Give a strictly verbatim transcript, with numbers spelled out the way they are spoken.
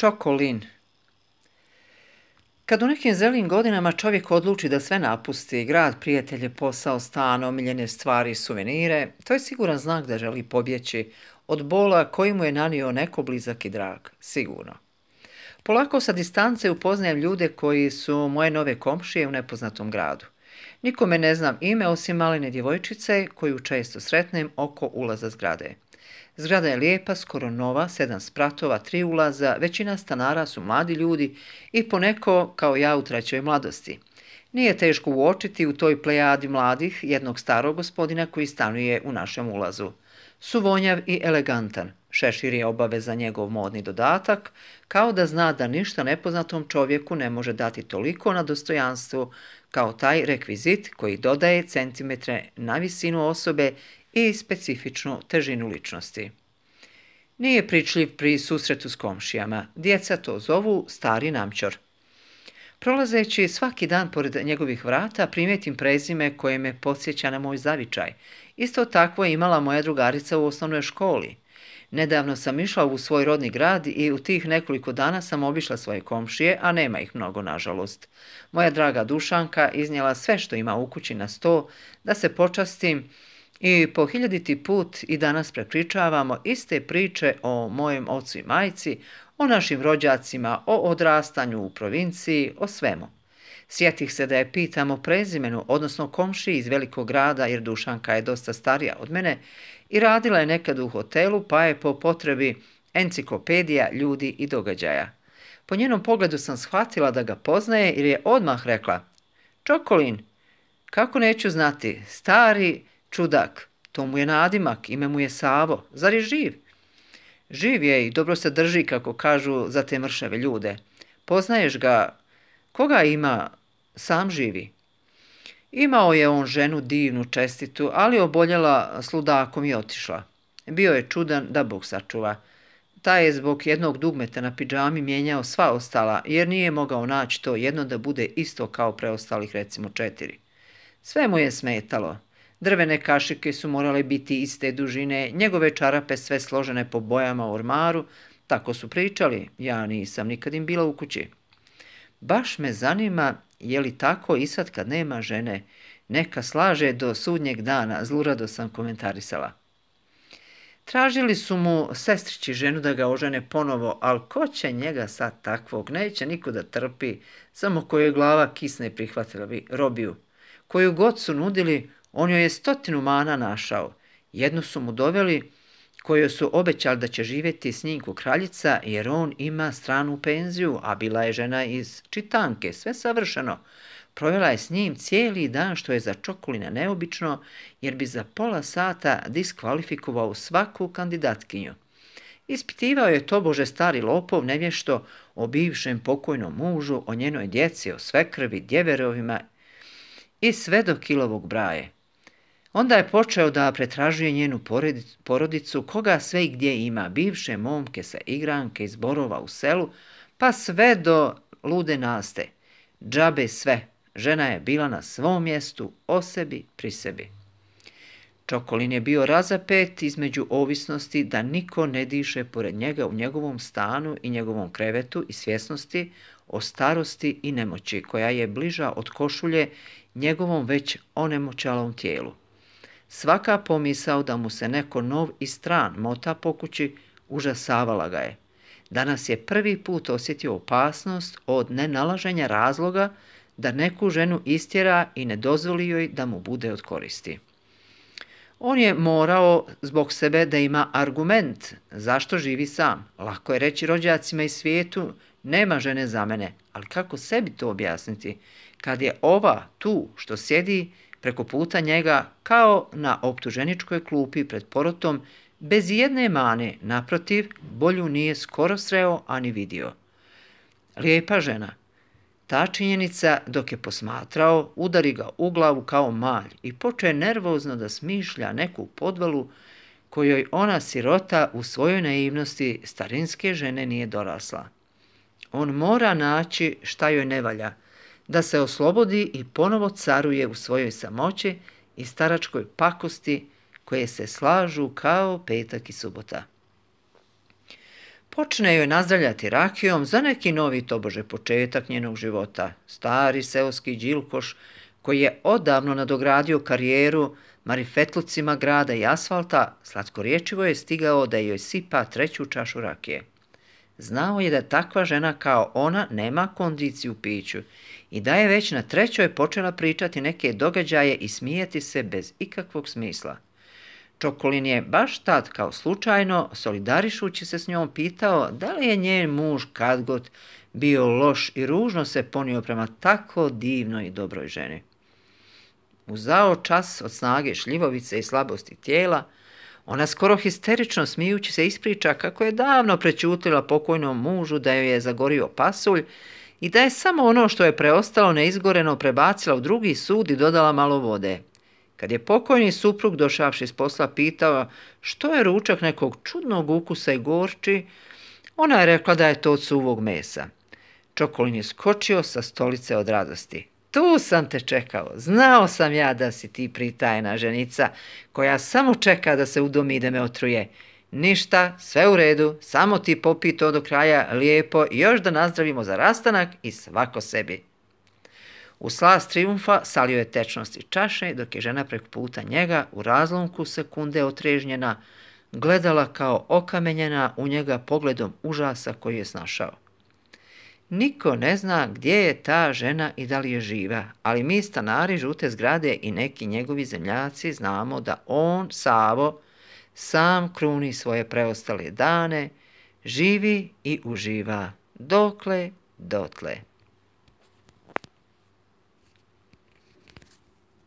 Čokolin. Kad u nekim zrelim godinama čovjek odluči da sve napusti, grad, prijatelje, posao, stan, omiljene stvari i suvenire, to je siguran znak da želi pobjeći od bola koji mu je nanio neko blizak i drag, sigurno. Polako sa distance upoznajem ljude koji su moje nove komšije u nepoznatom gradu. Nikome ne znam ime osim malene djevojčice koju često sretnem oko ulaza zgrade. Zgrada je lijepa, skoro nova, sedam spratova, tri ulaza, većina stanara su mladi ljudi i poneko kao ja u trećoj mladosti. Nije teško uočiti u toj plejadi mladih jednog starog gospodina koji stanuje u našem ulazu. Suvonjav i elegantan, šešir je obaveza njegov modni dodatak, kao da zna da ništa nepoznatom čovjeku ne može dati toliko na dostojanstvu kao taj rekvizit koji dodaje centimetre na visinu osobe i specifičnu težinu ličnosti. Nije pričljiv pri susretu s komšijama, djeca to zovu stari namćor. Prolazeći svaki dan pored njegovih vrata primijetim prezime koje me podsjeća na moj zavičaj. Isto takvo je imala moja drugarica u osnovnoj školi. Nedavno sam išla u svoj rodni grad i u tih nekoliko dana sam obišla svoje komšije, a nema ih mnogo, nažalost. Moja draga Dušanka iznijela sve što ima u kući na sto, da se počastim i po hiljaditi put i danas prepričavamo iste priče o mojem ocu i majci, o našim rođacima, o odrastanju u provinciji, o svemu. Sjetih se da je pitam o prezimenu, odnosno komšiji iz velikog grada, jer Dušanka je dosta starija od mene i radila je nekad u hotelu, pa je po potrebi enciklopedija ljudi i događaja. Po njenom pogledu sam shvatila da ga poznaje jer je odmah rekla: Čokolin, kako neću znati, stari čudak, to mu je nadimak, ime mu je Savo, zar je živ? Živ je i dobro se drži, kako kažu za te mršave ljude. Poznaješ ga, koga ima, sam živi. Imao je on ženu divnu, čestitu, ali oboljela s ludakom i otišla. Bio je čudan da Bog sačuva. Taj je zbog jednog dugmeta na pidžami mijenjao sva ostala, jer nije mogao naći to jedno da bude isto kao preostalih, recimo četiri. Sve mu je smetalo. Drvene kašike su morale biti iste dužine, njegove čarape sve složene po bojama u ormaru, tako su pričali, ja nisam nikad im bila u kući. Baš me zanima je li tako i sad kad nema žene, neka slaže do sudnjeg dana, zlurado sam komentarisala. Tražili su mu sestrići ženu da ga ožene ponovo, ali ko će njega sad takvog, neće niko da trpi, samo kojoj glava kisne prihvatila bi robiju. Koju god su nudili, on joj je stotinu mana našao. Jednu su mu doveli, koju su obećali da će živjeti s njim ko kraljica, jer on ima stranu penziju, a bila je žena iz čitanke, sve savršeno. Provjela je s njim cijeli dan, što je za Čokolina neobično, jer bi za pola sata diskvalifikovao svaku kandidatkinju. Ispitivao je tobože stari lopov nevješto o bivšem pokojnom mužu, o njenoj djeci, o svekrvi, djeverovima i sve do kilovog braje. Onda je počeo da pretražuje njenu porodicu, koga sve i gdje ima, bivše momke sa igranke iz Borova u selu, pa sve do lude Naste. Džabe sve, žena je bila na svom mjestu, o sebi, pri sebi. Čokolin je bio razapet između ovisnosti da niko ne diše pored njega u njegovom stanu i njegovom krevetu i svjesnosti o starosti i nemoći, koja je bliža od košulje njegovom već onemoćalom tijelu. Svaka pomisao da mu se neko nov i stran mota po kući užasavala ga je. Danas je prvi put osjetio opasnost od nenalaženja razloga da neku ženu istjera i ne dozvoli joj da mu bude od koristi. On je morao zbog sebe da ima argument zašto živi sam. Lako je reći rođacima iz svijetu, nema žene za mene, ali kako sebi to objasniti kad je ova tu što sjedi preko puta njega kao na optuženičkoj klupi pred porotom, bez jedne mane, naprotiv, bolju nije skoro sreo ani vidio. Lijepa žena. Ta činjenica, dok je posmatrao, udari ga u glavu kao malj i počne nervozno da smišlja neku podvalu kojoj ona sirota u svojoj naivnosti starinske žene nije dorasla. On mora naći šta joj ne valja, da se oslobodi i ponovo caruje u svojoj samoći i staračkoj pakosti koje se slažu kao petak i subota. Počne joj nazdravljati rakijom za neki novi tobože početak njenog života. Stari seoski đilkoš, koji je odavno nadogradio karijeru marifetlucima grada i asfalta, slatkorječivo je stigao da joj sipa treću čašu rakije. Znao je da takva žena kao ona nema kondiciju u piću i da je već na trećoj počela pričati neke događaje i smijeti se bez ikakvog smisla. Čokolin je baš tad kao slučajno, solidarišući se s njom, pitao da li je njen muž kadgod bio loš i ružno se ponio prema tako divnoj i dobroj ženi. Uzao čas od snage šljivovice i slabosti tijela, ona skoro histerično smijući se ispriča kako je davno prećutila pokojnom mužu da joj je zagorio pasulj i da je samo ono što je preostalo neizgoreno prebacila u drugi sud i dodala malo vode. Kad je pokojni suprug došavši s posla pitao što je ručak nekog čudnog ukusa i gorči, ona je rekla da je to od suvog mesa. Čokolin je skočio sa stolice od radosti. Tu sam te čekao, znao sam ja da si ti pritajena ženica koja samo čeka da se udomi i da me otruje. Ništa, sve u redu, samo ti popi to do kraja lijepo i još da nazdravimo za rastanak i svako sebi. U slast trijumfa salio je tečnost iz čaše, dok je žena preko puta njega u razlomku sekunde otrežnjena gledala kao okamenjena u njega pogledom užasa koji je snašao. Niko ne zna gdje je ta žena i da li je živa, ali mi stanari žute zgrade i neki njegovi zemljaci znamo da on, Savo, sam kruni svoje preostale dane, živi i uživa, dokle, dotle.